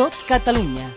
Tot Catalunya.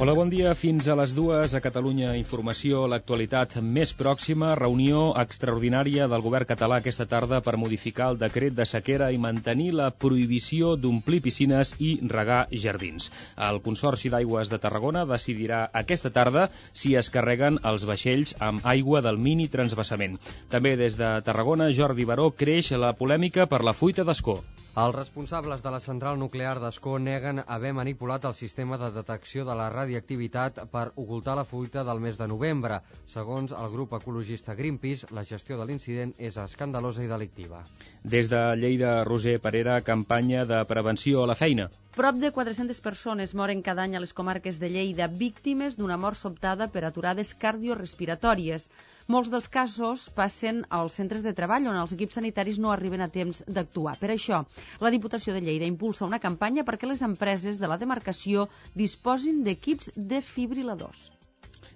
Hola, bon dia. Fins a les 2 a Catalunya Informació, l'actualitat més pròxima, reunió extraordinària del govern català aquesta tarda per modificar el decret de sequera i mantenir la prohibició d'omplir piscines i regar jardins. El Consorci d'Aigües de Tarragona decidirà aquesta tarda si es carreguen els vaixells amb aigua del mini transvasament. També des de Tarragona, Jordi Baró, creix la polèmica per la fuita d'Ascó. Els responsables de la central nuclear d'Ascó neguen haver manipulat el sistema de detecció de la radioactivitat per ocultar la fuita del mes de novembre. Segons el grup ecologista Greenpeace, la gestió de l'incident és escandalosa i delictiva. Des de Lleida, Roser Parera, campanya de prevenció a la feina. Prop de 400 persones moren cada any a les comarques de Lleida, víctimes d'una mort sobtada per aturades cardiorespiratòries. Molts dels casos passen als centres de treball on els equips sanitaris no arriben a temps d'actuar. Per això, la Diputació de Lleida impulsa una campanya perquè les empreses de la demarcació disposin d'equips desfibriladors.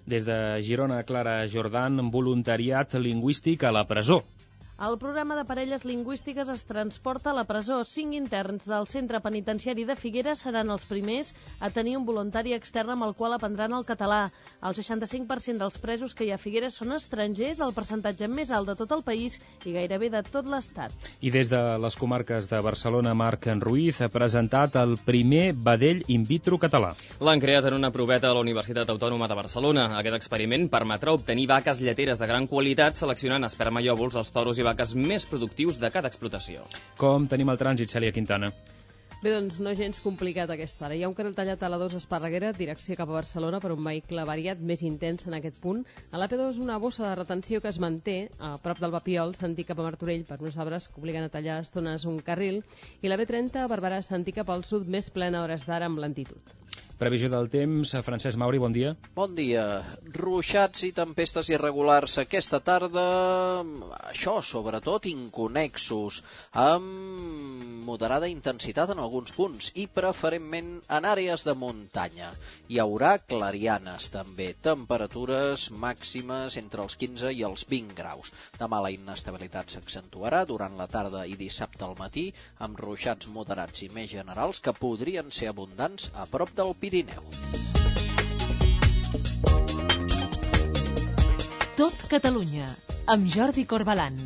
Des de Girona, Clara Jordan, voluntariat lingüístic a la presó. El programa de parelles lingüístiques es transporta a la presó. 5 interns del centre penitenciari de Figueres seran els primers a tenir un voluntari extern amb el qual aprendran el català. El 65% dels presos que hi ha a Figueres són estrangers, el percentatge més alt de tot el país i gairebé de tot l'Estat. I des de les comarques de Barcelona, Marc Ruiz ha presentat el primer vedell in vitro català. L'han creat en una proveta a la Universitat Autònoma de Barcelona. Aquest experiment permetrà obtenir vaques lleteres de gran qualitat seleccionant esperma i òvuls als toros i vaques més productius de cada explotació. Com tenim el trànsit, Cèlia Quintana? Bé, doncs no gens complicat a aquesta hora. Hi ha un carril tallat a la 2 Esparreguera, direcció cap a Barcelona, per un vehicle variat més intens en aquest punt. A l'AP2 una bossa de retenció que es manté a prop del Papiol, sentit cap a Martorell, per uns arbres que obliguen a tallar a estones un carril, i la B30 a Barberà, sentit cap al sud, més plena a hores d'ara amb lentitud. Previsió del temps, Francesc Mauri, bon dia. Bon dia. Ruixats i tempestes irregulars aquesta tarda, això sobretot inconnexos, amb moderada intensitat en alguns punts i preferentment en àrees de muntanya. Hi haurà clarianes també, temperatures màximes entre els 15 i els 20 graus. Demà la inestabilitat s'accentuarà durant la tarda i dissabte al matí, amb ruixats moderats i més generals que podrien ser abundants a prop del Pirineu. Tot Catalunya, amb Jordi Corbalan.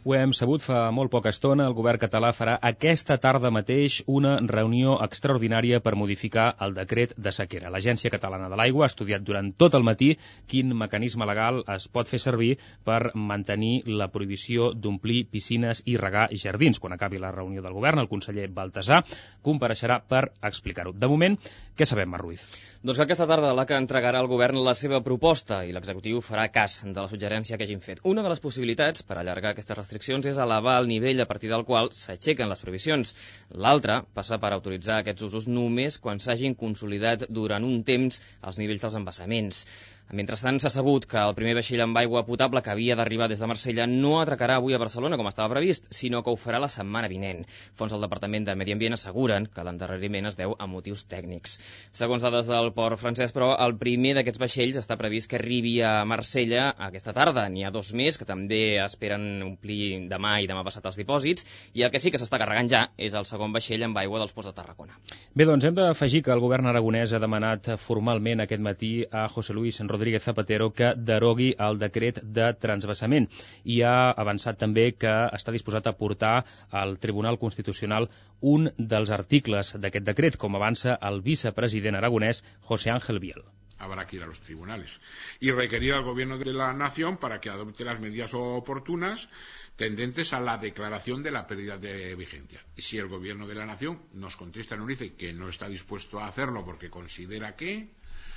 Ho hem sabut fa molt poca estona, el govern català farà aquesta tarda mateix una reunió extraordinària per modificar el decret de sequera. L'Agència Catalana de l'Aigua ha estudiat durant tot el matí quin mecanisme legal es pot fer servir per mantenir la prohibició d'omplir piscines i regar jardins. Quan acabi la reunió del govern, el conseller Baltasar compareixerà per explicar-ho. De moment, què sabem, Marc Ruiz? Doncs que aquesta tarda l'ACA entregarà al govern la seva proposta i l'executiu farà cas de la suggerència que hagin fet. Una de les possibilitats per allargar aquestes restriccions és elevar el nivell a partir del qual s'aixequen les prohibicions. L'altra passa per autoritzar aquests usos només quan s'hagin consolidat durant un temps els nivells dels embassaments. Mentrestant, s'ha sabut que el primer vaixell amb aigua potable que havia d'arribar des de Marsella no atracarà avui a Barcelona, com estava previst, sinó que ho farà la setmana vinent. Fons del Departament de Medi Ambient asseguren que l'endarreriment es deu a motius tècnics. Segons dades del port francès, però, el primer d'aquests vaixells està previst que arribi a Marsella aquesta tarda. N'hi ha 2 més que també esperen omplir demà i demà passat els dipòsits, i el que sí que s'està carregant ja és el segon vaixell amb aigua dels ports de Tarragona. Bé, doncs hem d'afegir que el govern aragonès ha demanat formalment aquest matí a José Luis Rodríguez Zapatero que derogui el decret de transvasament i ha avançat també que està disposat a portar al Tribunal Constitucional un dels articles d'aquest decret, com avança el vicepresident aragonès José Ángel Biel. Habrá que ir a los tribunales y requerir al gobierno de la nación para que adopte las medidas oportunas tendentes a la declaración de la pérdida de vigencia. Y si el gobierno de la nación nos contesta y nos dice que no está dispuesto a hacerlo porque considera que,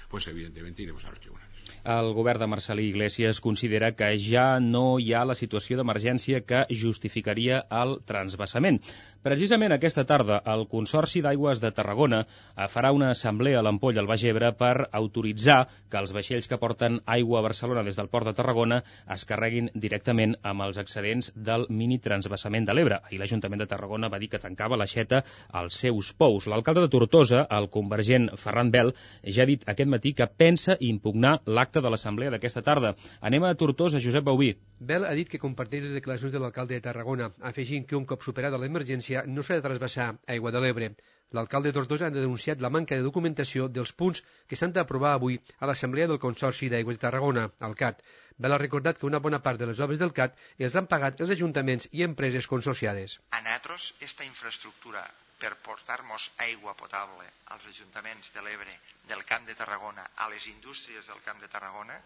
pues evidentemente iremos a los tribunales. El govern de Marcel·lí Iglesias considera que ja no hi ha la situació d'emergència que justificaria el transvasament. Precisament aquesta tarda, el Consorci d'Aigües de Tarragona farà una assemblea a l'Ampolla al Baix Ebre per autoritzar autoritzar que els vaixells que porten aigua a Barcelona des del port de Tarragona es carreguin directament amb els excedents del mini transvasament de l'Ebre. Ahir l'Ajuntament de Tarragona va dir que tancava l'aixeta als seus pous. L'alcalde de Tortosa, el convergent Ferran Bel, ja ha dit aquest matí que pensa impugnar l'acte de l'assemblea d'aquesta tarda. Anem a Tortosa, Josep Bauví. Bel ha dit que comparteix les declaracions de l'alcalde de Tarragona, afegint que un cop superada l'emergència no s'ha de trasbassar aigua de l'Ebre. L'alcalde de Tortosa ha denunciat la manca de documentació dels punts que s'han d'aprovar avui a l'Assemblea del Consorci d'Aigües de Tarragona, el CAT. Bel ha recordat que una bona part de les obres del CAT els han pagat els ajuntaments i empreses consorciades. A nosaltres, esta infraestructura per portar-nos aigua potable als ajuntaments de l'Ebre, del Camp de Tarragona, a les indústries del Camp de Tarragona,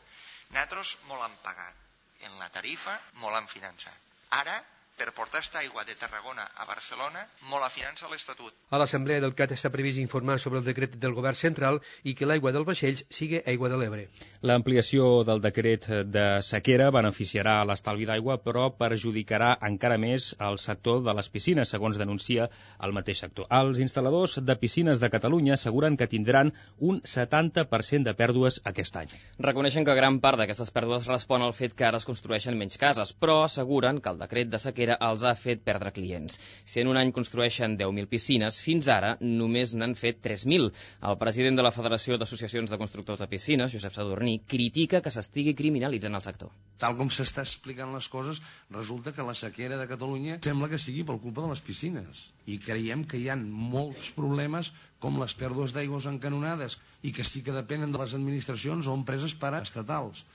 nosaltres molt han pagat. En la tarifa molt han finançat. Ara, per portar esta aigua de Tarragona a Barcelona, molt la finança l'Estatut. A l'Assemblea del CAT està previst informar sobre el decret del Govern central i que l'aigua dels vaixells sigui aigua de l'Ebre. L'ampliació del decret de sequera beneficiarà l'estalvi d'aigua, però perjudicarà encara més el sector de les piscines, segons denuncia el mateix sector. Els instal·ladors de piscines de Catalunya asseguren que tindran un 70% de pèrdues aquest any. Reconeixen que gran part d'aquestes pèrdues respon al fet que ara es construeixen menys cases, però asseguren que el decret de sequera els ha fet perdre clients. Si en un any construeixen 10.000 piscines, fins ara només n'han fet 3.000. El president de la Federació d'Associacions de Constructors de Piscines, Josep Sadurní, critica que s'estigui criminalitzant el sector. Tal com s'està explicant les coses, resulta que la sequera de Catalunya sembla que sigui per culpa de les piscines. I creiem que hi ha molts problemes com les pèrdues d'aigües encanonades i que sí que depenen de les administracions o empreses paraestatals.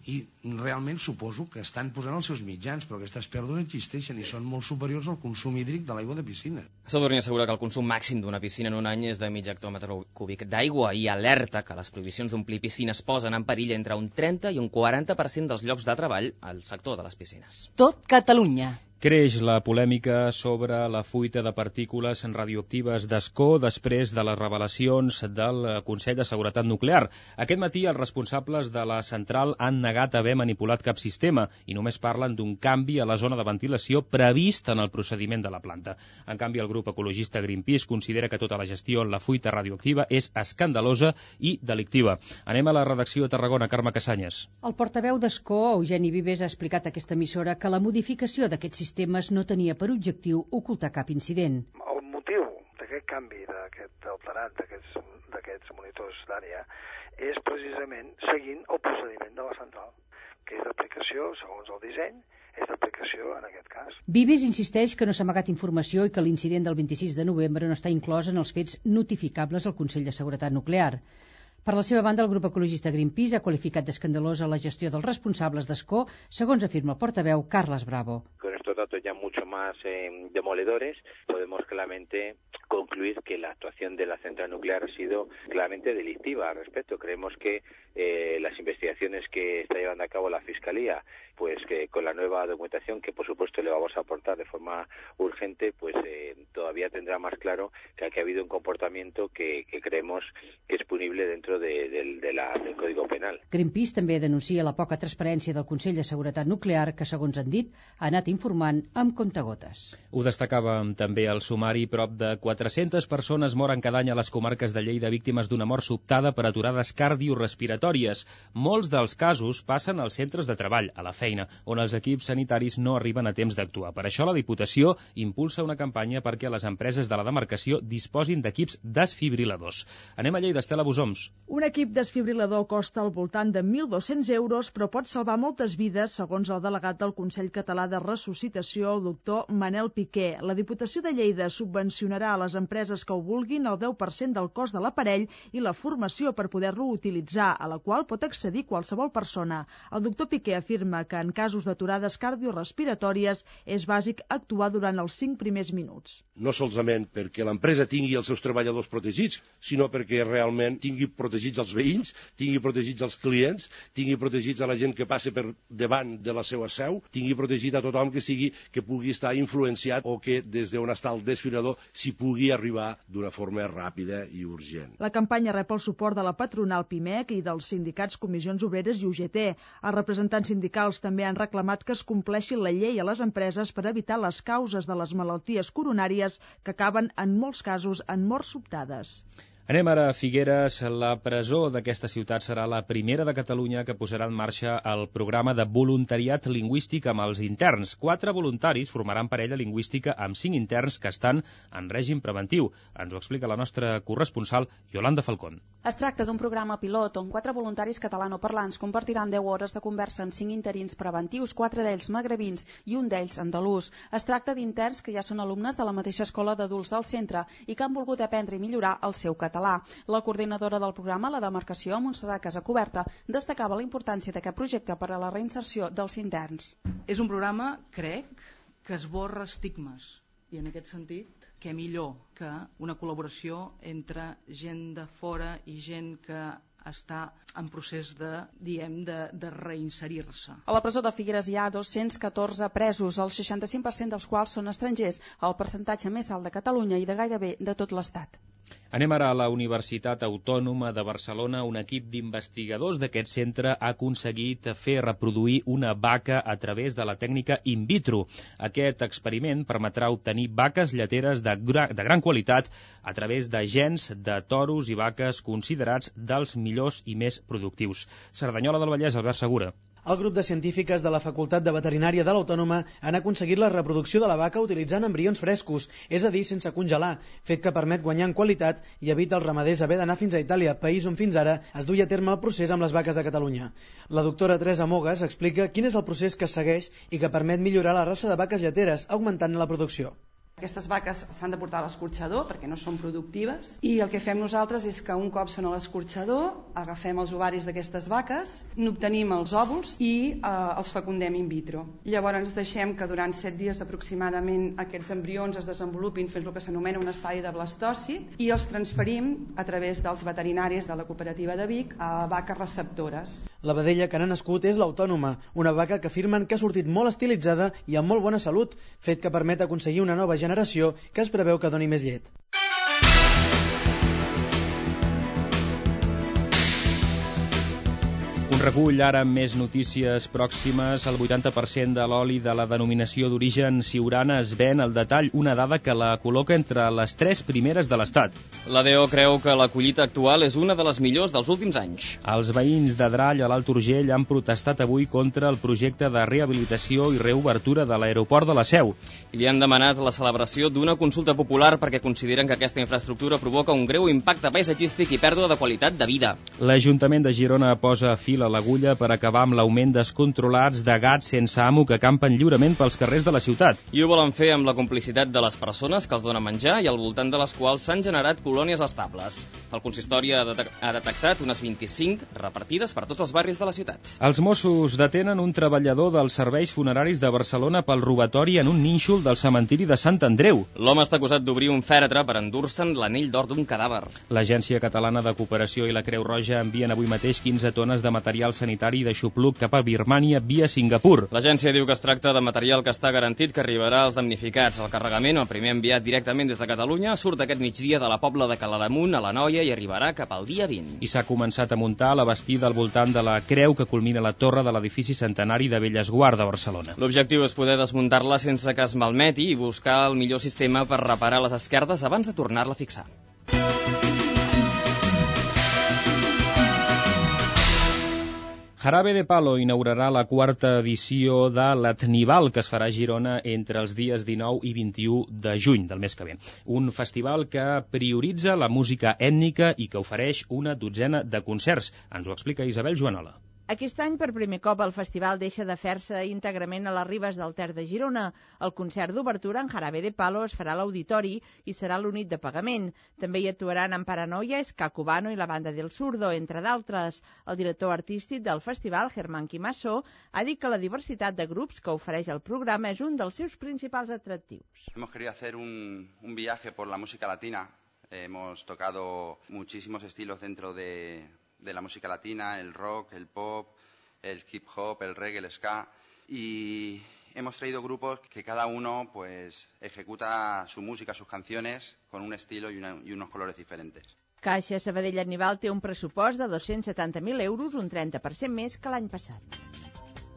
I realment suposo que estan posant els seus mitjans, però aquestes pèrdues existeixen i són molt superiors al consum hídric de l'aigua de piscina. Sadurní assegura que el consum màxim d'una piscina en un any és de mig hectòmetre cúbic d'aigua i alerta que les prohibicions d'omplir piscines posen en perill entre un 30 i un 40% dels llocs de treball al sector de les piscines. Tot Catalunya. Creix la polèmica sobre la fuita de partícules radioactives d'Ascó després de les revelacions del Consell de Seguretat Nuclear. Aquest matí els responsables de la central han negat haver manipulat cap sistema i només parlen d'un canvi a la zona de ventilació previst en el procediment de la planta. En canvi, el grup ecologista Greenpeace considera que tota la gestió en la fuita radioactiva és escandalosa i delictiva. Anem a la redacció a Tarragona, Carme Casanyes. El portaveu d'Ascó, Eugeni Vives, ha explicat a aquesta emissora que la modificació d'aquest sistemes no tenia per objectiu ocultar cap incident. El motiu d'aquest canvi, d'aquest alterat d'aquests monitors d'àrea, és precisament seguint el procediment de la central, que és d'aplicació, segons el disseny, és d'aplicació en aquest cas. Vives insisteix que no s'ha amagat informació i que l'incident del 26 de novembre no està inclòs en els fets notificables al Consell de Seguretat Nuclear. Per la seva banda, el grup ecologista Greenpeace ha qualificat d'escandalosa la gestió dels responsables d'Ascó, segons afirma el portaveu Carles Bravo. Con estos datos ya mucho más demoledores, podemos claramente concluir que la actuación de la central nuclear ha sido claramente delictiva al respecto. Creemos que las investigaciones que está llevando a cabo la Fiscalía, pues que con la nueva documentación que por supuesto le vamos a aportar de forma urgente, pues todavía tendrá más claro que aquí ha habido un comportamiento que creemos que es punible dentro del Código Penal. Greenpeace també denuncia la poca transparència del Consell de Seguretat Nuclear que, segons han dit, ha anat informant amb comptagotes. Ho destacàvem també al sumari, prop de 400 persones moren cada any a les comarques de Lleida víctimes d'una mort sobtada per aturades cardiorespiratòries. Molts dels casos passen als centres de treball, a la feina, on els equips sanitaris no arriben a temps d'actuar. Per això la Diputació impulsa una campanya perquè les empreses de la demarcació disposin d'equips desfibriladors. Anem a Lleida, Estela Busoms. Un equip desfibrilador costa al voltant de 1.200 euros, però pot salvar moltes vides, segons el delegat del Consell Català de Ressuscitació, el doctor Manel Piqué. La Diputació de Lleida subvencionarà a les empreses que ho vulguin el 10% del cost de l'aparell i la formació per poder-lo utilitzar, a la qual pot accedir qualsevol persona. El doctor Piqué afirma que en casos d'aturades cardiorespiratòries és bàsic actuar durant els 5 primers minuts. No solament perquè l'empresa tingui els seus treballadors protegits, sinó perquè realment tingui protegits els veïns, tingui protegits els clients, tingui protegits a la gent que passa per davant de la seva seu, tingui protegit a tothom que pugui estar influenciat o que des d'on està el desfibrilador s'hi pugui arribar d'una forma ràpida i urgent. La campanya rep el suport de la patronal PIMEC i dels sindicats Comissions Obreres i UGT. Els representants sindicals també han reclamat que es compleixi la llei a les empreses per evitar les causes de les malalties coronàries que acaben en molts casos en morts sobtades. Anem ara a Figueres. La presó d'aquesta ciutat serà la primera de Catalunya que posarà en marxa el programa de voluntariat lingüístic amb els interns. 4 voluntaris formaran parella lingüística amb 5 interns que estan en règim preventiu. Ens ho explica la nostra corresponsal, Yolanda Falcón. Es tracta d'un programa pilot on 4 voluntaris catalanoparlants compartiran 10 hores de conversa amb 5 interins preventius, 4 d'ells magrebins i un d'ells andalús. Es tracta d'interns que ja són alumnes de la mateixa escola d'adults del centre i que han volgut aprendre i millorar el seu català. La coordinadora del programa, la demarcació Montserrat Casacuberta, destacava la importància d'aquest projecte per a la reinserció dels interns. És un programa, crec, que esborra estigmes i en aquest sentit, què millor que una col·laboració entre gent de fora i gent que està en procés de reinserir-se. A la presó de Figueres hi ha 214 presos, el 65% dels quals són estrangers, el percentatge més alt de Catalunya i de gairebé de tot l'Estat. Anem ara a la Universitat Autònoma de Barcelona. Un equip d'investigadors d'aquest centre ha aconseguit fer reproduir una vaca a través de la tècnica in vitro. Aquest experiment permetrà obtenir vaques lleteres de gran qualitat a través de gens de toros i vaques considerats dels millors i més productius. Cerdanyola del Vallès, Albert Segura. El grup de científiques de la Facultat de Veterinària de l'Autònoma han aconseguit la reproducció de la vaca utilitzant embrions frescos, és a dir, sense congelar, fet que permet guanyar en qualitat i evita als ramaders haver d'anar fins a Itàlia, país on fins ara es duia a terme el procés amb les vaques de Catalunya. La doctora Teresa Mogas explica quin és el procés que es segueix i que permet millorar la raça de vaques lleteres, augmentant la producció. Aquestes vaques s'han de portar a l'escorxador perquè no són productives i el que fem nosaltres és que un cop són a l'escorxador agafem els ovaris d'aquestes vaques, n'obtenim els òvuls i els fecundem in vitro. Llavors deixem que durant 7 dies aproximadament aquests embrions es desenvolupin fins al que s'anomena un estadi de blastosi i els transferim a través dels veterinaris de la cooperativa de Vic a vaques receptores. La vedella que n'ha nascut és l'Autònoma, una vaca que afirmen que ha sortit molt estilitzada i amb molt bona salut, fet que permet aconseguir una nova generació que es preveu que doni més llet. Un recull ara amb més notícies pròximes. El 80% de l'oli de la denominació d'origen Siurana es ven al detall, una dada que la col·loca entre les 3 primeres de l'Estat. La DO creu que la collita actual és una de les millors dels últims anys. Els veïns de Drall, a l'Alt Urgell, han protestat avui contra el projecte de rehabilitació i reobertura de l'aeroport de la Seu. Li han demanat la celebració d'una consulta popular perquè consideren que aquesta infraestructura provoca un greu impacte paisatgístic i pèrdua de qualitat de vida. L'Ajuntament de Girona posa fil a l'agulla per acabar amb l'augment descontrolats de gats sense amo que campen lliurement pels carrers de la ciutat. I ho volen fer amb la complicitat de les persones que els donen menjar i al voltant de les quals s'han generat colònies estables. El consistori ha detectat unes 25 repartides per tots els barris de la ciutat. Els Mossos detenen un treballador dels serveis funeraris de Barcelona pel robatori en un nínxol del cementiri de Sant Andreu. L'home està acusat d'obrir un fèretre per endur-se'n l'anell d'or d'un cadàver. L'Agència Catalana de Cooperació i la Creu Roja envien avui mateix 15 tones de material sanitari de xupluc cap a Birmània via Singapur. L'agència diu que es tracta de material que està garantit que arribarà als damnificats. El carregament, el primer enviat directament des de Catalunya, surt aquest migdia de la Pobla de Claramunt a l'Anoia i arribarà cap al dia 20. I s'ha començat a muntar la bastida al voltant de la creu que culmina la torre de l'edifici centenari de Bellesguard de Barcelona. L'objectiu és poder desmuntar-la sense que es malmeti i buscar el millor sistema per reparar les esquerdes abans de tornar-la a fixar. Jarabe de Palo inaugurarà la 4ª edició de l'Etnival, que es farà a Girona entre els dies 19 i 21 de juny del mes que ve. Un festival que prioritza la música ètnica i que ofereix una dotzena de concerts. Ens ho explica Isabel Joanola. Aquest any, per primer cop, el festival deixa de fer-se íntegrament a les ribes del Ter de Girona. El concert d'obertura en Jarabe de Palo es farà a l'Auditori i serà l'únic de pagament. També hi actuaran en Paranoia, Ska Cubano i la Banda del Zurdo, entre d'altres. El director artístic del festival, Germán Quimasso, ha dit que la diversitat de grups que ofereix el programa és un dels seus principals atractius. Hemos querido hacer un viaje por la música latina. Hemos tocado muchísimos estilos dentro de la música latina, el rock, el pop, el hip hop, el reggae, el ska, y hemos traído grupos que cada uno pues ejecuta su música, sus canciones con un estilo y unos colores diferentes. Caixa Sabadell Etnival té un pressupost de 270.000 euros, un 30% més que l'any passat.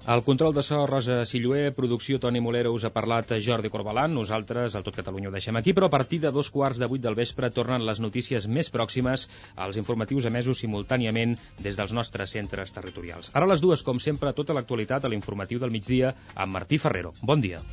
El control de so, Rosa Silluer, producció Toni Molero, us ha parlat Jordi Corbalan. Nosaltres, al Tot Catalunya, ho deixem aquí, però a partir de 7:15 del vespre tornen les notícies més pròximes, als informatius emesos simultàniament des dels nostres centres territorials. Ara a les 2, com sempre, tota l'actualitat a l'informatiu del migdia amb Martí Ferrero. Bon dia.